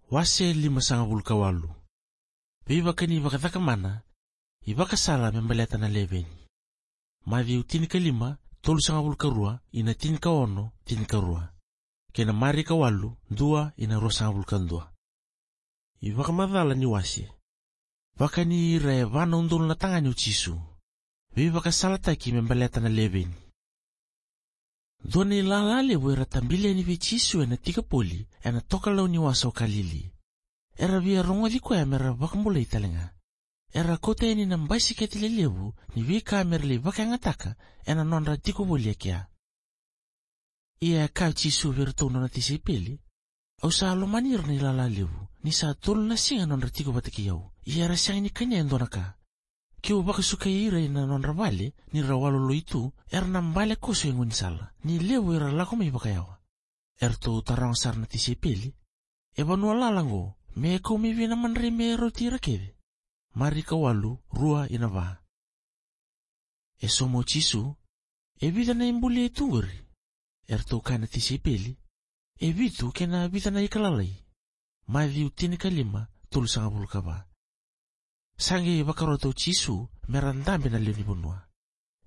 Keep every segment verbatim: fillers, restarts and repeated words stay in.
Wase limasagavulu ka walu. Veivakani vakacakamana, ivakasala me baleta na leveni. Maciu tinikalima, tolusagavulu ka rua ina tinikaono, tinikarua. Kei na Marika walu, dua ina ruasagavulu ka dua. Ivakamacala ni wase. Vakani ira e va na udolu na tagane o Jisu. Veivakasalataki me baleta na leveni. Dua na ilala levu era tabili yani vei Jisu ena Tikapoli, ena tokalau ni wasa o Kalili. Era via rogoci koya mera vakabulai talega. Era kauta yani na basikete lelevu ni veika mera lai vakayagataka ena nodra tiko voli e kea. Ia e kaya o Jisu vei iratou na nona tisaipeli, "Au sa lomani ira na ilala levu, ni sa tolu na siga nodra tiko vata kei au, ia era sega ni kania e dua na ka. Keu vakasukai ira ina nodra vale, ni ra waloloi tu, era na bale koso e gaunisala, ni levu era lako mai vakayawa." Eratou taroga sara na tisaipeli, "E vanua lala oqo, me kau mai vei na madrai me rauti ira kece?" Marika walu, rua ina va. E sauma o Jisu, "E vica na ibuli e tu qori?" Eratou kaya na tisaipeli, "E vitu kei na vica na ika lalai." Maciu tinikalima, tolusagavulu ka va. Sa qai vakarota o Jisu mera dabe na lewe ni vanua.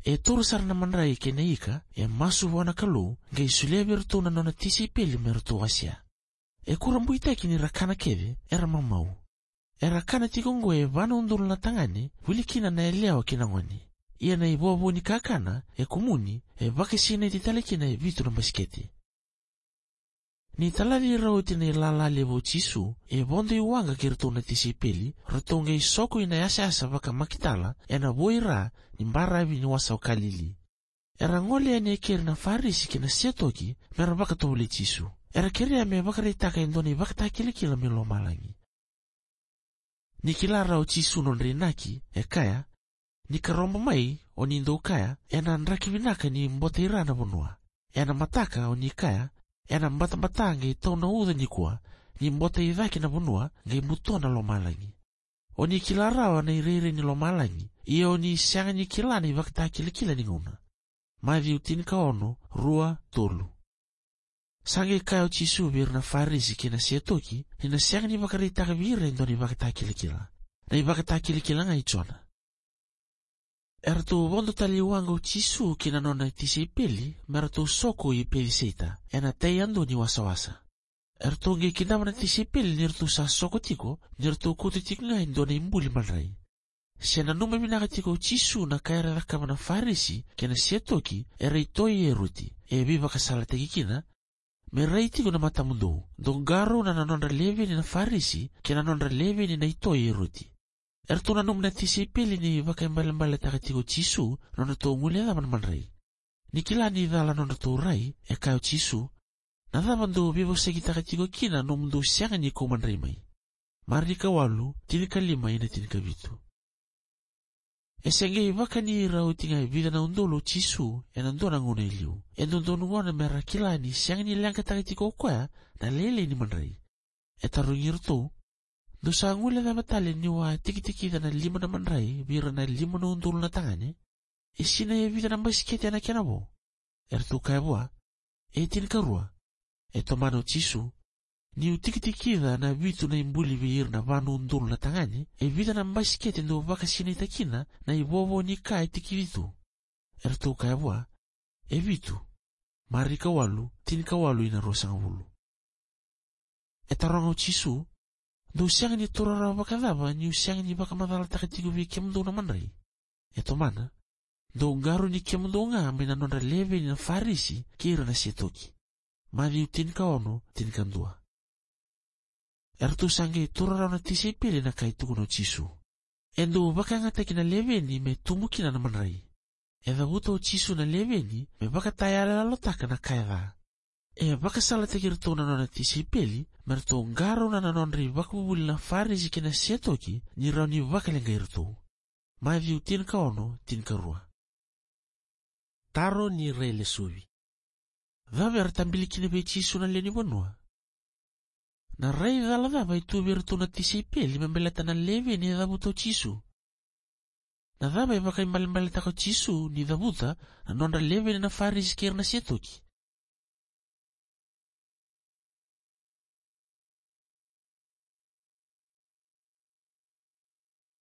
E taura sara na madrai kei na ika, e masu vua na Kalou, qai solia vei iratou na nona tisaipeli me ratou wasea. E kurabuitaki ni ra kana kece, era mamau. Era kana tiko oqo e va na udolu na tagane, wili kina na yalewa kei na gone. Ia na ivovo ni kakana e kumuni, e vakasinaiti tale kina e vitu na basikete. Ni talaci ira oti na ilala levu o Jisu, e vodo i waqa kei iratou na tisaipeli, ratou qai soko ina yasayasa vakaMakitala, ena vuaira ni baravi ni wasa o Kalili. Era gole yani e keri na Farisi kei na Setoki mera vakatovolei Jisu. Era kerea me vakaraitaka e dua na ivakatakilakila mai lomalagi. Ni kila rawa o Jisu nodra inaki, e kaya, "Ni karobo mai, o ni dou kaya, ena draki vinaka ni bota ira na vanua. Ena mataka, o ni kaya, ena batabata qai tau na uca nikua, ni bota i cake na vanua, qai butua na lomalagi. O ni kila rawa na irairai ni lomalagi, ia o ni sega ni kila na ivakatakilakila ni gauna." Maciu tinikaono, rua, tolu. Sa qai kaya o Jisu vei ira na Farisi kei na Setoki, ni na sega ni vakaraitaka vei ira e dua na ivakatakilakila. Na ivakatakilakila ga i Jona. Eratou vodo tale i waqa o Jisu kei na nona tisaipeli, me ratou soko i Peciseita, ena tai yadua ni wasawasa. Eratou qai kidava na tisaipeli ni ratou sa soko tiko, ni ratou kauta tiko ga e dua na ibuli madrai. Se nanuma vinaka tiko o Jisu na ka era cakava na Farisi kei na Setoki, era i toi i Eroti, e veivakasalataki kina, "Me rai tiko na matamudou, dou qarauna na nodra leveni na Farisi, kei na nodra leveni na i toi i Eroti." Eratou nanuma na tisaipeli ni vakaibalebaletaka tiko o Jisu na nodratou guilecava na madrai. Ni kila ni cala nodratou rai, e kaya o Jisu, "Na cava dou veivosakitaka tiko kina nomudou sega ni kau madrai mai?" Marika walu, tinikalima ina tinikavitu. E se qai vakani ira oti ga e vica na udolu o Jisu ena dua na gauna e liu. E dodonu gona mera kila ni sega ni leqataka tiko o koya na lailai ni madrai. E tarogi iratou, "Dou sa guilecava tale niu a tikitikica na lima na madrai vei ira na lima na udolu na tagane? E sinai e vica na basikete ena kena vo?" Eratou kaya vua, "E tinikarua." E tomana o Jisu, "Niu tikitikica na vitu na ibuli vei ira na va na udolu na tagane, e vica na basikete dou vakasinaita kina na ivovo ni ka e tikici tu?" Eratou kaya vua, "E vitu." Marika walu, tinikawalu ina ruasagavulu. E taroga o Jisu, "Dou sega ni taura rawa vakacava niu sega ni vakamacalataka tiko vei kemudou na madrai?" E tomana, "Dou qarauni kemudou ga mai na nodra leveni na Farisi kei ira na Setoki." Maciu tinikaono, tinikadua. Eratou sa qai taura rawa na tisaipeli na ka e tukuna o Jisu. "E dou vakayagataki na leveni me tubu kina na madrai." E cavuta o Jisu na leveni me vakatayaloyalotaka na ka e ca. E vakasalataki iratou na nona tisaipeli me ratou qarauna na nodra ivakavuvuli na Farisi kei na Setoki ni rawa ni vakaleqai iratou. Maciu tinikaono, tinikarua. Taro ni railesuvi. Cava era tabili kina vei Jisu na lewe ni vanua? Na rai cala cava e tu vei iratou na tisaipeli me baleta na leveni e cavuta o Jisu? Na cava e vakaibalebaletaka o Jisu ni cavuta na nodra leveni na Farisi kei ira na Setoki?